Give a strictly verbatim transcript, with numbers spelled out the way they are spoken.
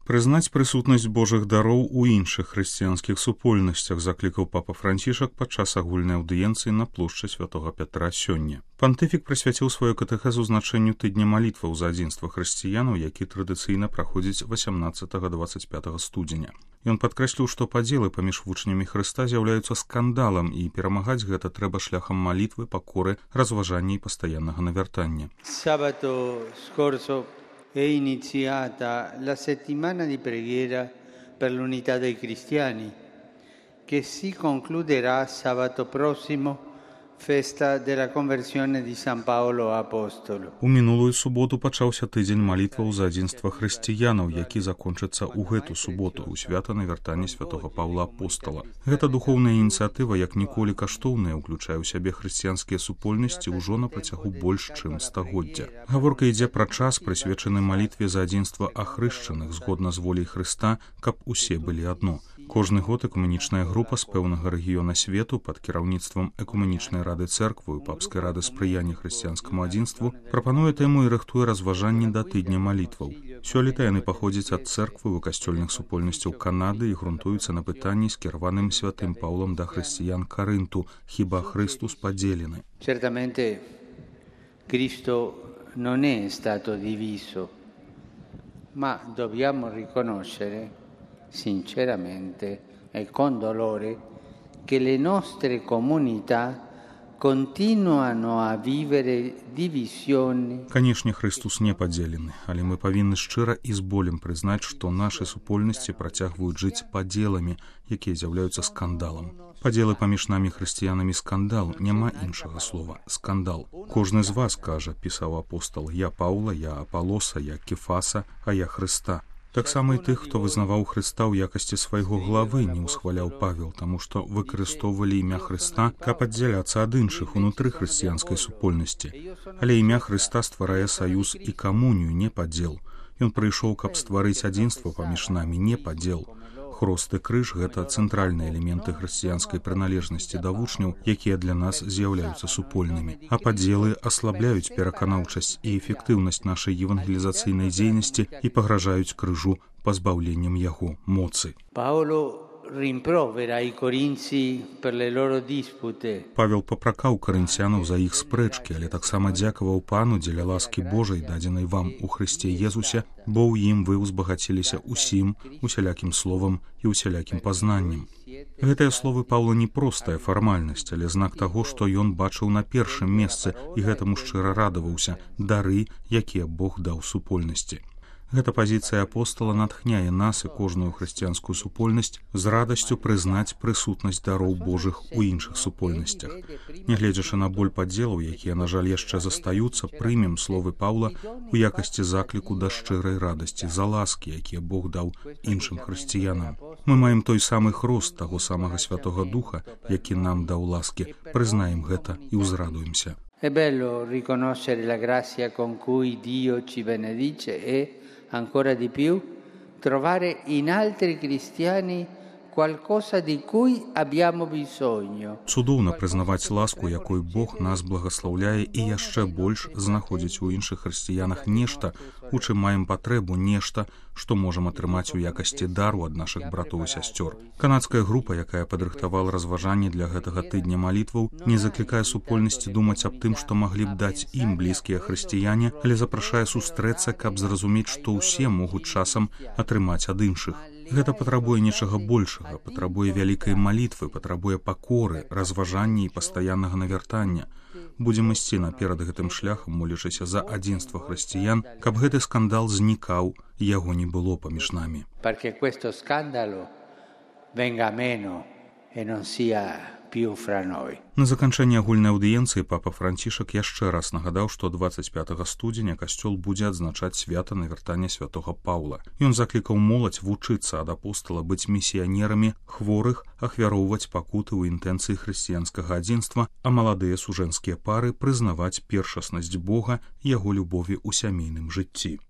Прызнаць прысутнасць Божых дароў у іншых хрысціянскіх супольнасцях заклікаў папа Францішак падчас агульнай аўдыенцыі на плошчы святога Пятра сёння. Пантыфік прысвяціў сваю катэхезу значэнню тыдня малітваў за адзінства хрысціянаў, які традыцыйна праходзіць васямнаццатага дваццаць пятага студзеня. Ён падкрэсліў, што падзелы паміж вучнямі Хрыста з'яўляюцца скандалам, і перамагаць гэта трэба шляхам малітвы, пакоры, разважання і пастаяннага навяртання. Sabato scorso è iniziata la settimana di preghiera per l'unità dei cristiani, che si concluderà sabato prossimo, festa della conversione di San Paolo Apostolo. У мінулую суботу пачаўся тыдзень малітваў за адзінства хрысціянаў, які закончыцца ў гэту суботу, у свята навяртання святога Паўла Апостала. Гэта духоўная ініцыятыва, як ніколі каштоўная, уключае ў сябе хрысціянскія супольнасці ўжо на працягу больш чым стагоддзя. Гаворка ідзе пра час, прысвечаны малітве за адзінства ахрышчаных згодна з воляй Хрыста, каб усе былі адно. Кожны год экуменічная група з пэўнага рэгіёна свету пад кіраўніцтвам экуменічнай рады цэрквы і папскай рады спрыяння хрысціянскаму адзінству прапануе тэму і рыхтуе разважанні да тыдня малітваў. Сёлета яны паходзяць ад цэрквы і касцёльных супольнасцяў Канады і грунтуюцца на пытанні, скіраваным святым Паўлам да хрысціян Карынту: «Хіба Христус падзелены?» Certamente Cristo non è stato diviso, ma dobbiamo riconoscere sinceramente e con dolore che le nostre comunità continuano a vivere divisioni. Канешне, Христус не падзелены, але мы павінны шчыра і з болем прызнаць, што нашы супольнасці працягваюць жыць падзеламі, якія з'яўляюцца скандалам. Падзелы паміж намі хрысціянамі скандал, няма іншага слова. Скандал. Кожны з вас кажа, пісаў апостол: «Я Паўла, я Апалоса, я Кефаса, а я Хрыста». Таксама і тых, хто вызнаваў Хрыста ў якасці свайго главы, не ўсхваляў Павел, таму што выкарыстоўвалі імя Хрыста, каб аддзяляцца ад іншых унутры хрысціянскай супольнасці. Але імя Хрыста стварае саюз і камунію, не падзел. Ён прыйшоў, каб стварыць адзінства паміж намі, не падзел. Хрост і крыж – гэта цэнтральныя элементы хрысціянскай прыналежнасці да вучняў, якія для нас з'яўляюцца супольнымі. А падзелы аслабляюць пераканаўчасць і эфектыўнасць нашай евангелізацыйнай дзейнасці і пагражаюць крыжу пазбаўленнем яго моцы. Paolo rimprovera i corinzi per le loro dispute. Павел папракаў карынцянаў за іх спрэчкі, але таксама дзякаваў Пану дзеля ласкі Божай, дадзенай вам у Хрысце Езусе, бо ў ім вы ўзбагаціліся усім, усялякім словам і усялякім пазнаннем. Гэтыя словы Паўла не простая фармальнасць, але знак таго, што ён бачыў на першым месцы і гэтаму шчыра радаваўся, дары, якія Бог даў супольнасці. Гэта пазіцыя апостола натхняе нас і кожную хрысціянскую супольнасць з радасцю прызнаць прысутнасць дароў Божых у іншых супольнасцях. Нягледзячы на боль падзелаў, якія, на жаль, яшчэ застаюцца, прымем словы Паўла у якасці закліку да шчырай радасці за ласкі, якія Бог даў іншым хрысціянам. Мы маем той самы хрост таго самага Святога Духа, які нам даў ласкі. Прызнаем гэта і ўзрадуемся. È bello riconoscere la grazia con cui Dio ci benedice e, ancora di più, trovare in altri cristiani qualcosa di cui abbiamo bisogno. Цудоўна прызнаваць ласку, якой Бог нас благаслаўляе, і яшчэ больш знаходзіць у іншых хрысціянах нешта, у чым маем патрэбу, нешта, што можам атрымаць у якасці дару ад нашых братоў і сясцёр. Канадская група, якая падрыхтавала разважанні для гэтага тыдня малітваў, не заклікае супольнасці думаць аб тым, што маглі б даць ім блізкія хрысціяне, але запрашае сустрэцца, каб зразумець, што ўсе могуць часам атрымаць ад іншых. Гэта патрабуе нечага большага, патрабуе вялікай малітвы, патрабуе пакоры, разважання і пастаяннага навяртання. Будзем ісці наперад гэтым шляхам, молячыся за адзінства хрысціян, каб гэты скандал знікаў, яго не было паміж намі. Perché questo scandalo venga meno e non sia più fra noi. На заканчэнне агульнай аўдыенцыі папа Францішак яшчэ раз нагадаў, што дваццаць пятага студзеня касцёл будзе адзначаць свята навяртання святога Паўла. Ён заклікаў моладзь вучыцца ад апостола быць місіянерамі, хворых ахвяроўваць пакуты ў інтэнцыі хрысціянскага адзінства, а маладыя сужэнскія пары прызнаваць першаснасць Бога, яго любові ў сямейным жыцці.